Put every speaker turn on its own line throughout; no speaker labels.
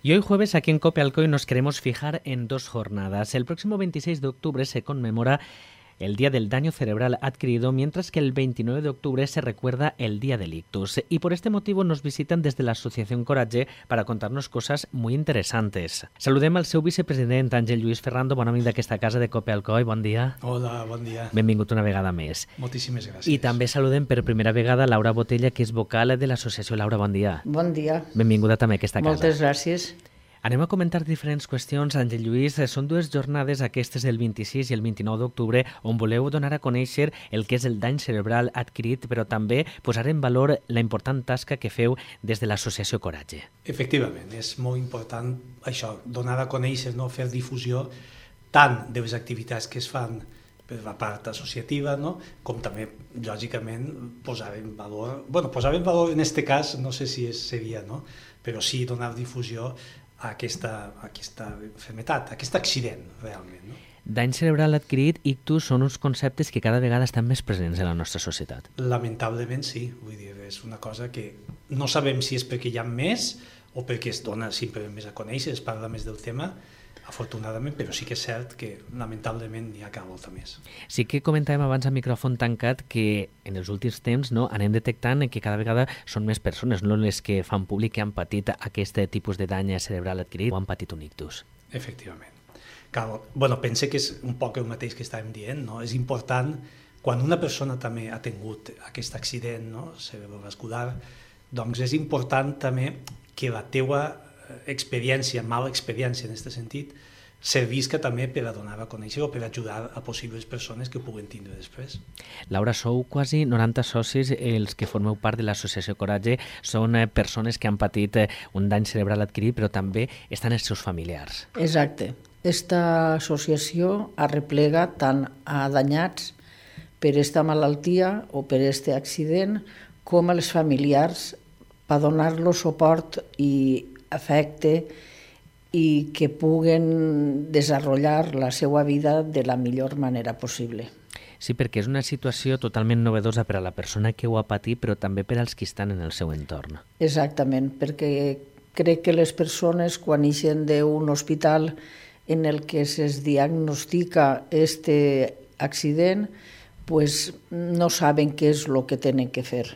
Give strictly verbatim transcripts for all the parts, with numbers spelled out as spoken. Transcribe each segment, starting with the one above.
Y hoy jueves aquí en Cope Alcoy nos queremos fijar en dos jornadas. El próximo veintiséis de octubre se conmemora el Día del Daño Cerebral Adquirido, mientras que el veintinueve de octubre se recuerda el Día del Ictus. Y por este motivo nos visitan desde la Asociación Coratge para contarnos cosas muy interesantes. Saludem al seu vicepresident, Àngel Lluís Ferrando, bon amic d'aquesta casa de Cope Alcoy. Bon dia.
Hola, bon dia.
Benvingut una vegada més.
Moltíssimes gràcies.
I també saludem per primera vegada Laura Botella, que és vocal de l'associació. Laura, bon dia.
Bon dia.
Benvinguda també a aquesta casa.
Moltes gràcies.
Anem a comentar diferents qüestions, Àngel Lluís. Són dues jornades, aquestes del vint-i-sis i el vint-i-nou d'octubre, on voleu donar a conèixer el que és el dany cerebral adquirit, però també posar en valor la important tasca que feu des de l'associació Coratge.
Efectivament, és molt important això, donar a conèixer, no? Fer difusió tant de les activitats que es fan per la part associativa, no? Com també, lògicament, posar en valor... bueno, posar en valor en aquest cas, no sé si és, seria, no? Però sí donar difusió a aquesta, a aquesta enfermedad, a aquest accident, realment. No?
Dany cerebral adquirit, ictus, són uns conceptes que cada vegada estan més presents en la nostra societat.
Lamentablement sí, vull dir, és una cosa que no sabem si és perquè hi ha més o perquè es dona simplement més a conèixer, es parla més del tema, afortunadament, però sí que és cert que lamentablement n'hi ha cada volta més.
Sí que comentàvem abans a micròfon tancat que en els últims temps no, anem detectant que cada vegada són més persones no les que fan públic que han patit aquest tipus de dany cerebral adquirit o han patit un ictus.
Efectivament. Cal, bueno, pense que és un poc el mateix que estàvem dient, no? És important, quan una persona també ha tingut aquest accident, no? Cerebrovascular, doncs és important també que la teua experiència, mala experiència en aquest sentit, servisca també per a donar a conèixer o per ajudar a possibles persones que ho puguen tindre després.
Laura, sou quasi noranta socis, els que formeu part de l'associació Coratge, són persones que han patit un dany cerebral adquirit, però també estan els seus familiars.
Exacte. Esta associació arreplega tant a danyats per esta malaltia o per este accident com als familiars per donar-los suport i afecte i que puguen desenvolupar la seva vida de la millor manera possible.
Sí, perquè és una situació totalment novedosa per a la persona que ho ha patit, però també per als que estan en el seu entorn.
Exactament, perquè crec que les persones quan ixen d'un hospital en el que se'ls diagnostica este accident, pues no saben què és el que tenen que fer.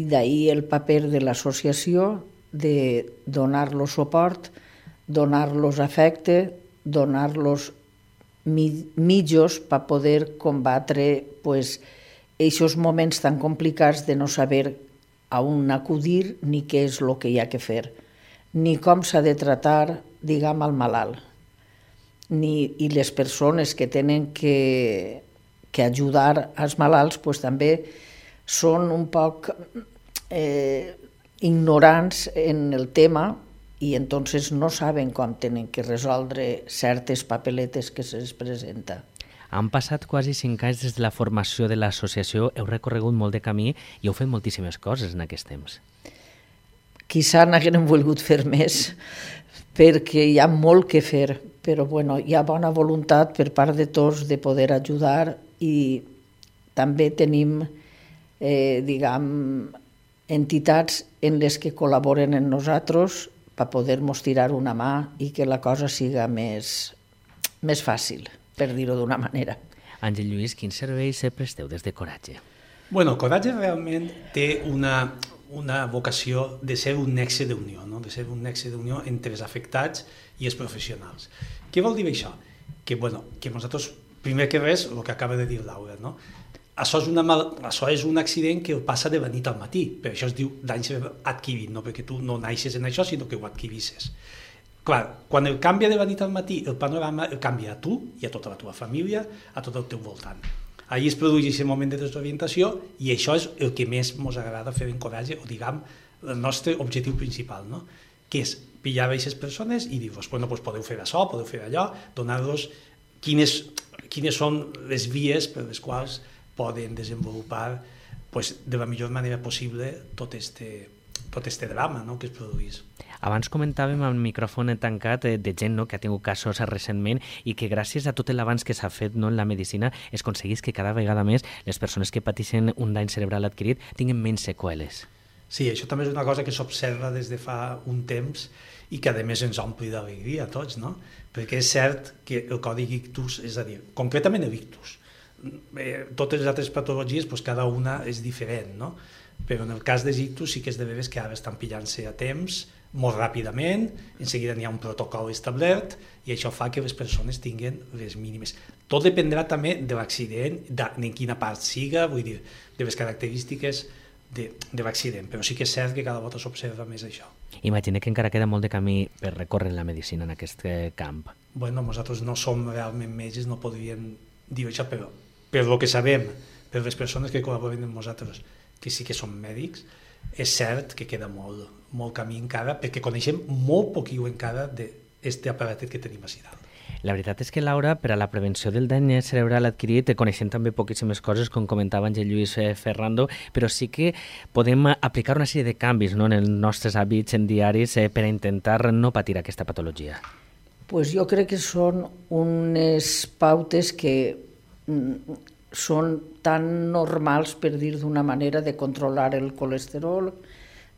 I d'ahí el paper de l'associació de donar-los suport, donar-los afecte, donar-los mitjos per poder combatre pues, aquests moments tan complicats de no saber a on acudir ni què és el que hi ha que fer, ni com s'ha de tratar, diguem, al malalt. Ni, i les persones que tenen que, que ajudar als malalts pues, també són un poc... Eh, ignorants en el tema i entonces no saben com tenen que resoldre certes papeletes que se'ls presenta.
Han passat quasi cinc anys des de la formació de l'associació, heu recorregut molt de camí i heu fet moltíssimes coses en aquest temps.
Quizà n'haguem volgut fer més, perquè hi ha molt que fer, però bueno, hi ha bona voluntat per part de tots de poder ajudar i també tenim, eh, diguem, entitats en les que col·laboren amb nosaltres per poder-nos tirar una mà i que la cosa siga més, més fàcil, per dir-ho d'una manera.
Àngel Lluís, quins serveis presteu des de Coratge?
Bueno, Coratge realment té una, una vocació de ser un nexe d'unió, no? De ser un nexe d'unió entre els afectats i els professionals. Què vol dir això? Que, bueno, que nosaltres, primer que res, el que acaba de dir Laura, no? Això és, una mal... això és un accident que passa de la nit al matí, per això es diu dany cerebral adquirit, no perquè tu no naixes en això, sinó que ho adquirisses. Clar, quan el canvia de la nit al matí, el panorama el canvia a tu i a tota la teva família, a tot el teu voltant. Allí es produeix aquest moment de desorientació i això és el que més ens agrada fer en Coratge, o diguem, el nostre objectiu principal, no? Que és pillar aquestes persones i dir-vos, bueno, doncs podeu fer això, podeu fer allò, donar-los quines, quines són les vies per les quals poden desenvolupar pues, de la millor manera possible tot este, tot este drama, no?, que es produís.
Abans comentàvem amb el micròfon tancat de gent, no?, que ha tingut casos recentment i que gràcies a tot l'avanç que s'ha fet, no?, en la medicina es aconseguís que cada vegada més les persones que pateixen un dany cerebral adquirit tinguin menys seqüeles.
Sí, això també és una cosa que s'observa des de fa un temps i que a més ens ompli d'alegria a tots, no? Perquè és cert que el còdic ictus, és a dir, concretament l'ictus, eh, totes les altres patologies, doncs cada una és diferent, no? Però en el cas dels ictus sí que és de veres que ara estan pillant-se a temps, molt ràpidament, en seguida n'hi ha un protocol establert i això fa que les persones tinguin les mínimes. Tot dependrà també de l'accident, en quina part siga, vull dir, de les característiques de, de l'accident, però sí que és cert que cada volta s'observa més això.
Imagina que encara queda molt de camí per recórrer en la medicina en aquest camp.
Bueno, nosaltres no som realment metges, no podríem dir això, però per el que sabem, per les persones que col·laboren amb nosaltres, que sí que som mèdics, és cert que queda molt, molt camí encara, perquè coneixem molt poquiu encara d'aquest aparatet que tenim a dalt.
La veritat és que, Laura, per a la prevenció del dany cerebral adquirit coneixem també poquíssimes coses, com comentava Àngel Lluís Ferrando, però sí que podem aplicar una sèrie de canvis, no?, en els nostres hàbits en diaris eh, per a intentar no patir aquesta patologia.
Pues jo crec que són unes pautes que són tan normals, per dir d'una manera, de controlar el colesterol,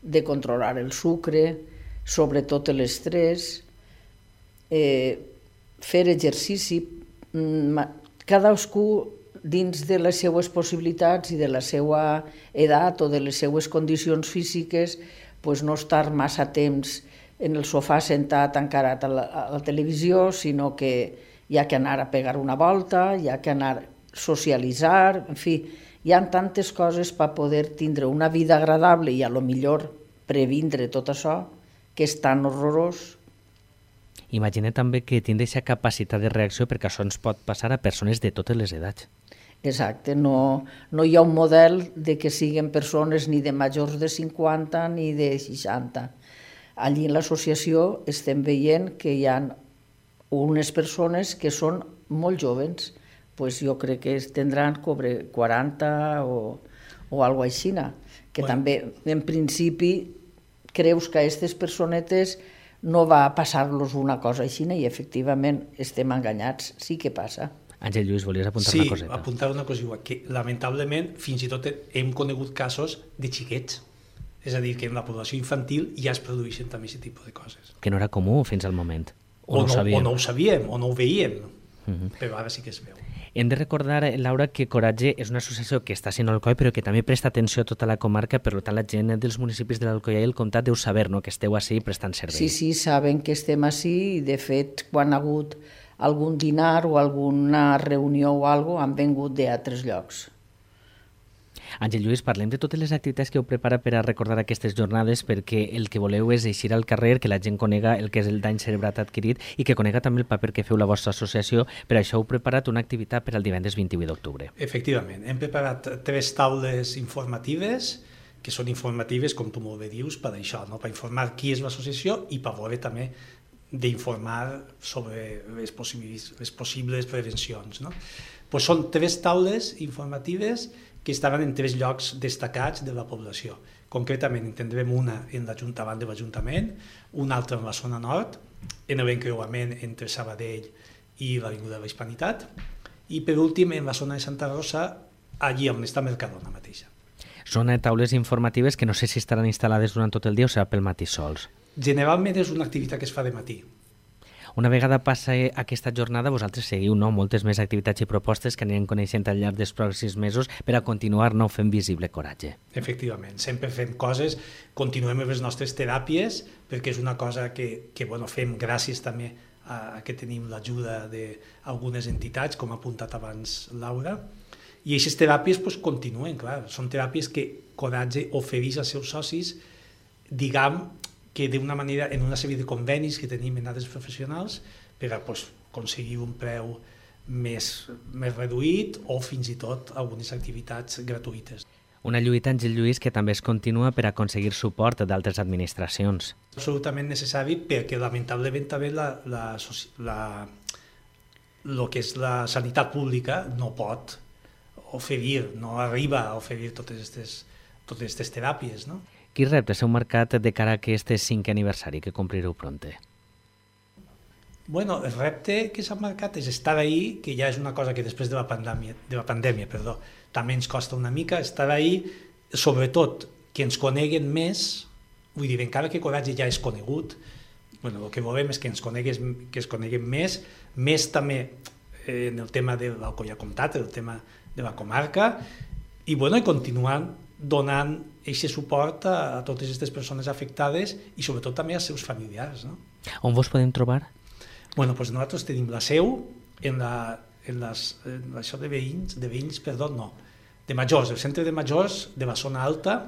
de controlar el sucre, sobretot l'estrès, eh, fer exercici, cadascú dins de les seues possibilitats i de la seva edat o de les seues condicions físiques, pues no estar massa temps en el sofà sentat encarat a la, a la televisió, sinó que hi ha que anar a pegar una volta, hi ha que anar a socialitzar, en fi, hi ha tantes coses per poder tindre una vida agradable i a lo millor previndre tot això, que és tan horrorós.
Imagina també que tindre aquesta capacitat de reacció, perquè això ens pot passar a persones de totes les edats.
Exacte, no, no hi ha un model de que siguin persones ni de majors de cinquanta ni de seixanta. Allí en l'associació estem veient que hi ha unes persones que són molt joves, pues jo crec que tindran cobre quaranta o, o alguna cosa així, que bueno, també en principi creus que a aquestes personetes no va passar-los una cosa així i efectivament estem enganyats, sí que passa.
Àngel Lluís, volies apuntar
sí,
una coseta?
Sí, apuntar una cosa, que lamentablement fins i tot hem conegut casos de xiquets, és a dir, que en la població infantil ja es produeixen també aquest tipus de coses.
Que no era comú fins al moment, o,
o,
no,
no,
ho
o no ho sabíem, o no ho veiem,
uh-huh.
però ara sí que es veu.
Hem de recordar, Laura, que Coratge és una associació que està sent Alcoi, però que també presta atenció a tota la comarca, per tant la gent dels municipis de l'Alcoià i el Comtat deu saber, no?, que esteu així prestant servei.
Sí, sí, saben que estem així i de fet quan ha hagut algun dinar o alguna reunió o alguna cosa han vengut d'altres llocs.
Àngel Lluís, parlem de totes les activitats que heu preparat per a recordar aquestes jornades, perquè el que voleu és eixir al carrer, que la gent conega el que és el dany cerebral adquirit i que conega també el paper que feu la vostra associació. Per això heu preparat una activitat per al divendres vint-i-vuit d'octubre.
Efectivament, hem preparat tres taules informatives, que són informatives, com tu molt bé dius, per això, no? Per informar qui és l'associació i per veure també d'informar sobre les possibles, les possibles prevencions, no? Pues són tres taules informatives que estaven en tres llocs destacats de la població. Concretament, en tindrem una en l'Ajuntament de l'Ajuntament, una altra en la zona nord, en l'encreuament entre Sabadell i l'Avinguda de la Hispanitat, i per últim en la zona de Santa Rosa, allí on està Mercadona mateixa.
Són taules informatives que no sé si estaran instal·lades durant tot el dia o serà pel matí sols.
Generalment és una activitat que es fa de matí.
Una vegada passa aquesta jornada, vosaltres seguiu, no?, moltes més activitats i propostes que anirem coneixent al llarg dels pròxims mesos per a continuar, no?, fent visible Coratge.
Efectivament, sempre fem coses, continuem amb les nostres teràpies, perquè és una cosa que, que bueno, fem gràcies també a, a que tenim l'ajuda d'algunes entitats, com ha apuntat abans Laura, i aquestes teràpies pues, continuen, clar, són teràpies que Coratge ofereix als seus socis, diguem, que d'una manera, en una sèrie de convenis que tenim en altres professionals per a pues, aconseguir un preu més, més reduït o fins i tot algunes activitats gratuïtes.
Una lluita, Àngel Lluís, que també es continua per aconseguir suport d'altres administracions.
Absolutament necessari perquè lamentablement també la, la, la, lo que és la sanitat pública no pot oferir, no arriba a oferir totes aquestes totes aquestes teràpies, no?
Quins reptes heu marcat de cara a aquest cinquè aniversari que comprireu pronte?
Bueno, el repte que s'ha marcat és estar ahí, que ja és una cosa que després de la pandèmia, de la pandèmia perdó, també ens costa una mica, estar ahí, sobretot que ens coneguen més, vull dir, encara que Coratge ja és conegut, bueno, el que volem és que ens conegues, que es coneguem més, més també eh, en el tema de l'Alcoià Comtat, el tema de la comarca, i, bueno, i continuant donant aquest suport a, a totes aquestes persones afectades i sobretot també als seus familiars. No?
On vos podem trobar?
Bueno, doncs nosaltres tenim la seu en, la, en, les, en això de veïns, de veïns, perdó, no, de majors, el centre de majors de la zona alta,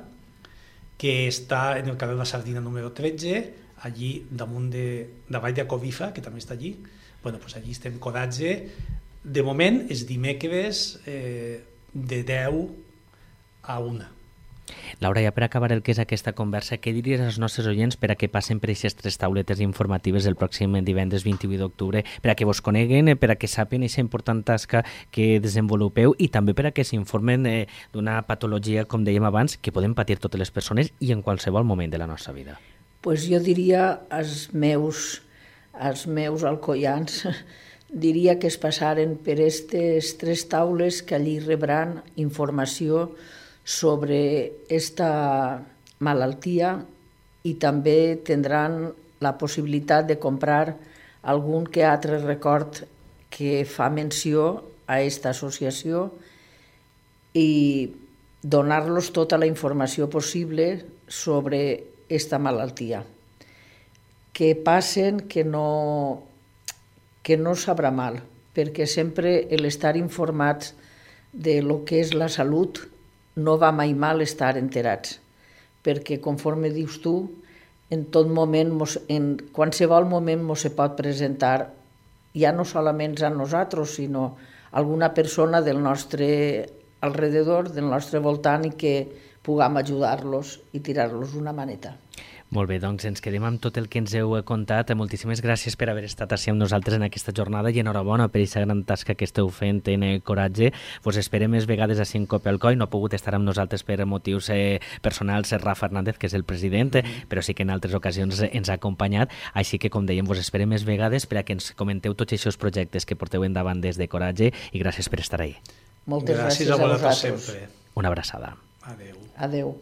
que està en el carrer de la Sardina número tretze, allí damunt de, de Vall de Covifa, que també està allí. Bueno, doncs allí estem Coratge. De moment, és dimecres eh, de deu a una.
Laura, ja per acabar el que és aquesta conversa, què diries als nostres oients per a que passen per aquestes tres tauletes informatives el pròxim divendres vint-i-vuit d'octubre, per a que vos coneguen, per a que sàpien aquesta important tasca que desenvolupeu i també per a que s'informen eh, d'una patologia, com dèiem abans, que poden patir totes les persones i en qualsevol moment de la nostra vida?
Pues jo diria als meus, als meus alcoians, diria que es passaren per aquestes tres taules, que allí rebran informació sobre esta malaltia i també tindran la possibilitat de comprar algun que altre record que fa menció a aquesta associació i donar-los tota la informació possible sobre aquesta malaltia. Que passen que no, que no sabrà mal, perquè sempre l'estar informats de lo que és la salut no va mai mal estar enterats, perquè conforme dius tu, en tot moment, en qualsevol moment mos se pot presentar, ja no solament a nosaltres, sinó a alguna persona del nostre alrededor, del nostre voltant, i que puguem ajudar-los i tirar-los una maneta.
Molt bé, doncs ens quedem amb tot el que ens heu contat. Moltíssimes gràcies per haver estat així amb nosaltres en aquesta jornada i enhorabona per aquesta gran tasca que esteu fent en Coratge. Vos esperem més vegades així en Copelcoy. No ha pogut estar amb nosaltres per motius eh, personals Rafa Hernández, que és el president, mm-hmm. però sí que en altres ocasions ens ha acompanyat. Així que, com dèiem, vos esperem més vegades per a que ens comenteu tots aquests projectes que porteu endavant des de Coratge i gràcies per estar ahí.
Moltes gràcies,
gràcies a
vosaltres.
sempre.
Una abraçada.
Adéu.
Adéu.